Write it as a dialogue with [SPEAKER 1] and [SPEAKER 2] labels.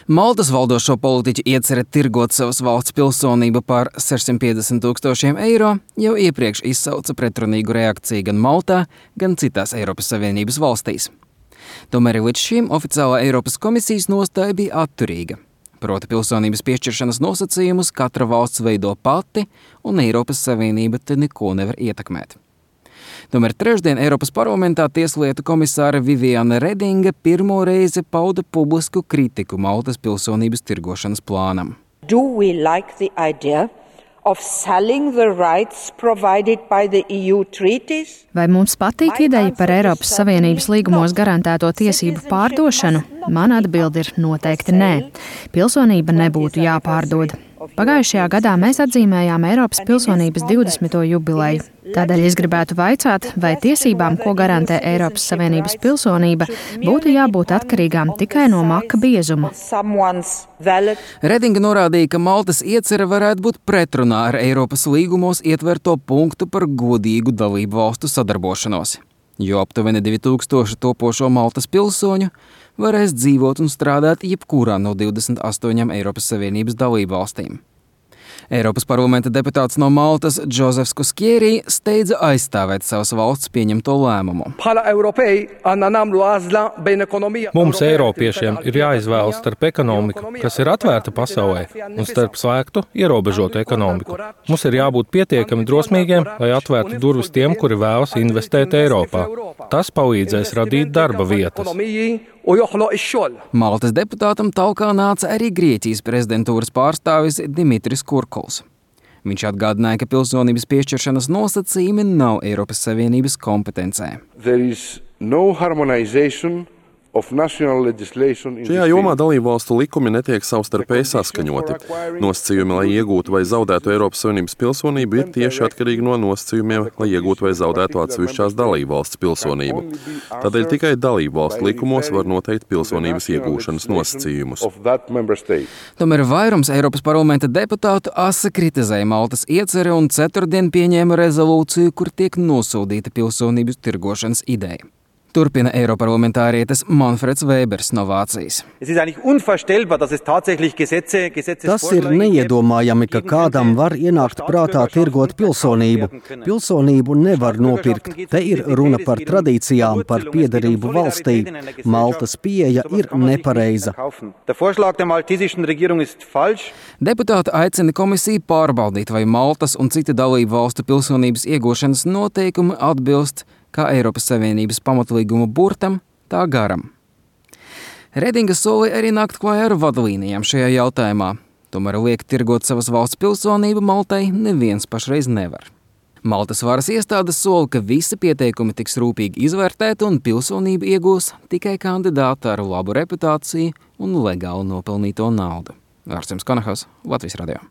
[SPEAKER 1] Maltas valdošo politiķu iecerē tirgot savas valsts pilsonību par 650,000 eiro jau iepriekš izsauca pretrunīgu reakciju gan Maltā, gan citās Eiropas Savienības valstīs. Tomēr līdz šim oficiālā Eiropas komisijas nostāja bija atturīga. Proti pilsonības piešķiršanas nosacījumus katra valsts veido pati, un Eiropas Savienība te neko nevar ietekmēt. Tomēr trešdien Eiropas parlamentā tieslietu komisāre Viviane Redinga pirmo reizi pauda publisku kritiku Maltas pilsonības tirgošanas plānam.
[SPEAKER 2] Do we like the idea of selling the rights provided by the EU treaties?
[SPEAKER 3] Vai mums patīk ideja par Eiropas Savienības līgumos garantēto tiesību pārdošanu? Mana atbilde ir noteikti nē. Pilsonība nebūtu jāpārdod. Pagājušajā gadā mēs atzīmējām Eiropas pilsonības 20. jubileju. Tādēļ es gribētu vaicāt, vai tiesībām, ko garantē Eiropas Savienības pilsonība, būtu jābūt atkarīgām tikai no maka biezuma.
[SPEAKER 1] Redinga norādīja, ka Maltas iecerē varētu būt pretrunā ar Eiropas līgumos ietverto punktu par godīgu dalību valstu sadarbošanos, jo aptuveni 2000 topošo Maltas pilsoņu varēs dzīvot un strādāt jebkurā no 28 Eiropas Savienības dalību valstīm. Eiropas parlamenta deputāts no Maltas Džozefs Kuskierī steidza aizstāvēt savas valsts pieņemto lēmumu.
[SPEAKER 4] Mums, Eiropiešiem, ir jāizvēlas starp ekonomiku, kas ir atvērta pasaulē, un starp slēgtu, ierobežotu ekonomiku. Mums ir jābūt pietiekami drosmīgiem, lai atvērtu durvis tiem, kuri vēlas investēt Eiropā. Tas palīdzēs radīt darba vietas.
[SPEAKER 1] Maltas deputātam talkā nāca arī Grieķijas prezidentūras pārstāvis Dimitris Kurkuls. Viņš atgādināja, ka pilsonības piešķiršanas nosacījumi nav Eiropas Savienības kompetencē.
[SPEAKER 5] Šajā jomā dalībvalstu likumi netiek savstarpēji saskaņoti. Nosacījumi, lai iegūtu vai zaudētu Eiropas Savienības pilsonību, ir tieši atkarīgi no nosacījumiem, lai iegūtu vai zaudētu atsevišķās dalībvalsts pilsonību. Tādēļ tikai dalībvalstu likumos var noteikt pilsonības iegūšanas nosacījumus.
[SPEAKER 1] Tomēr vairums Eiropas parlamenta deputātu asi kritizēja Maltas iecerē un ceturtdien pieņēma rezolūciju, kur tiek nosodīta pilsonības tirgošanas ideja. Turpina eiroparlamentārietis Manfreds Vēbers no Vācijas.
[SPEAKER 6] Tas ir neiedomājami, ka kādam var ienākt prātā tirgot pilsonību. Pilsonību nevar nopirkt. Te ir runa par tradīcijām, par piederību valstī. Maltas pieeja ir nepareiza.
[SPEAKER 1] Deputāti aicina komisiju pārbaudīt, vai Maltas un citu dalību valstu pilsonības iegūšanas noteikumi atbilst kā Eiropas Savienības pamatlīguma burtam, tā garam. Redinga solīja arī nākt klājā ar vadlīnijām šajā jautājumā. Tomēr liekt tirgot savas valsts pilsonību Maltai neviens pašreiz nevar. Maltas varas iestādes sola, ka visi pieteikumi tiks rūpīgi izvērtēti un pilsonību iegūs tikai kandidāti ar labu reputāciju un legāli nopelnīto naudu. Ārsems Konahos, Latvijas radio.